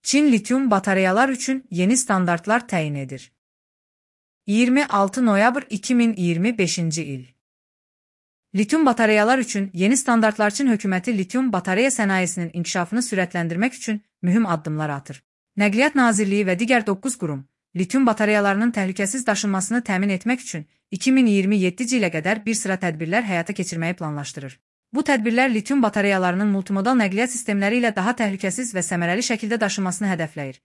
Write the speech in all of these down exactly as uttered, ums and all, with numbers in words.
Çin lityum bataryalar üçün yeni standartlar təyin edir. iyirmi altı noyabr iki min iyirmi beşinci il. Lityum bataryalar üçün yeni standartlar Çin hökuməti lityum batarya sənayesinin inkişafını sürətləndirmək üçün mühüm addımlar atır. Nəqliyyat Nazirliyi və digər doqquz qurum, lityum bataryalarının təhlükəsiz daşınmasını təmin etmək üçün iki min iyirmi yeddinci ilə qədər bir sıra tədbirlər həyata keçirməyi planlaşdırır. Bu tədbirlər lityum bataryalarının multimodal nəqliyyat sistemləri ilə daha təhlükəsiz və səmərəli şəkildə daşınmasını hədəfləyir.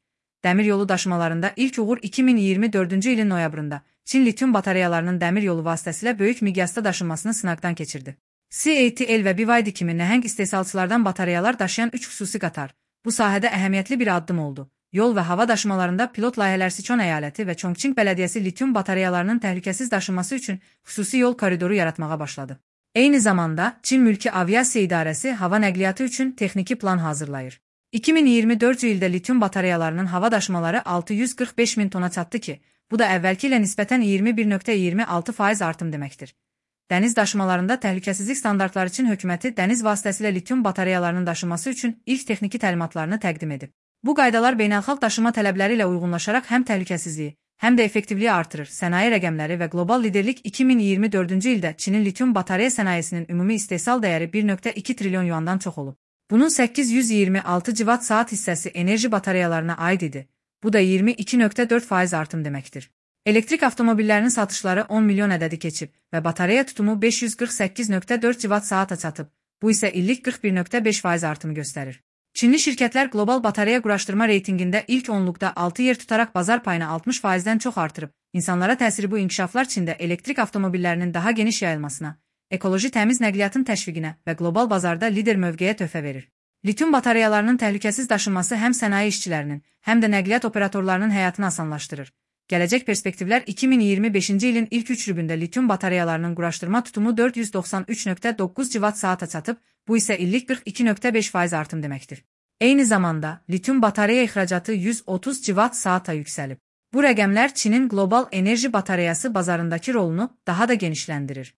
Dəmir yolu daşımalarında ilk uğur iki min iyirmi dördüncü ilin noyabrında Çin lityum bataryalarının dəmir yolu vasitəsilə böyük miqyasda daşınmasını sınaqdan keçirdi. C A T L və B Y D kimi nəhəng istehsalçılardan bataryalar daşıyan üç xüsusi qatar bu sahədə əhəmiyyətli bir addım oldu. Yol və hava daşımalarında pilot layihələr Sichuan əyaləti və Chongqing bələdiyyəsi lityum bataryalarının təhlükəsiz daşınması üçün xüsusi yol koridoru yaratmağa başladı. Eyni zamanda Çin Mülki Aviasiya İdarəsi hava nəqliyyatı üçün texniki plan hazırlayır. iki min iyirmi dördüncü ildə lityum bataryalarının hava daşımaları altı yüz qırx beş min tona çatdı ki, bu da əvvəlki ilə nisbətən iyirmi bir nöqtə iyirmi altı faiz artım deməkdir. Dəniz daşımalarında təhlükəsizlik standartları üçün hökuməti dəniz vasitəsilə lityum bataryalarının daşınması üçün ilk texniki təlimatlarını təqdim edib. Bu qaydalar beynəlxalq daşıma tələbləri ilə uyğunlaşaraq həm təhlükəsizliyi, həm də effektivliyi artırır. Sənaye rəqəmləri və qlobal liderlik iki min iyirmi dördüncü ildə Çinin lityum batarya sənayesinin ümumi istehsal dəyəri bir nöqtə iki trilyon yuandan çox olub. Bunun səkkiz yüz iyirmi altı civat saat hissəsi enerji bataryalarına aid idi. Bu da iyirmi iki nöqtə dörd faiz artım deməkdir. Elektrik avtomobillərinin satışları on milyon ədədi keçib və batarya tutumu beş yüz qırx səkkiz nöqtə dörd civat saata çatıb. Bu isə illik qırx bir nöqtə beş faiz artımı göstərir. Çinli şirkətlər qlobal batarya quraşdırma reytingində ilk onluqda altı yer tutaraq bazar payını altmış faizdən çox artırıb. İnsanlara təsiri bu inkişaflar Çində elektrik avtomobillərinin daha geniş yayılmasına, ekoloji təmiz nəqliyyatın təşviqinə və qlobal bazarda lider mövqeyə töhfə verir. Lityum bataryalarının təhlükəsiz daşınması həm sənaye işçilərinin, həm də nəqliyyat operatorlarının həyatını asanlaşdırır. Gələcək perspektivlər iki min iyirmi beşinci ilin ilk üç rübündə lityum bataryalarının quraşdırma tutumu dörd yüz doxsan üç nöqtə doqquz civat saata çatıb, bu isə illik qırx iki nöqtə beş faiz artım deməkdir. Eyni zamanda, lityum batarya ixracatı yüz otuz civat saata yüksəlib. Bu rəqəmlər Çinin qlobal enerji bataryası bazarındakı rolunu daha da genişləndirir.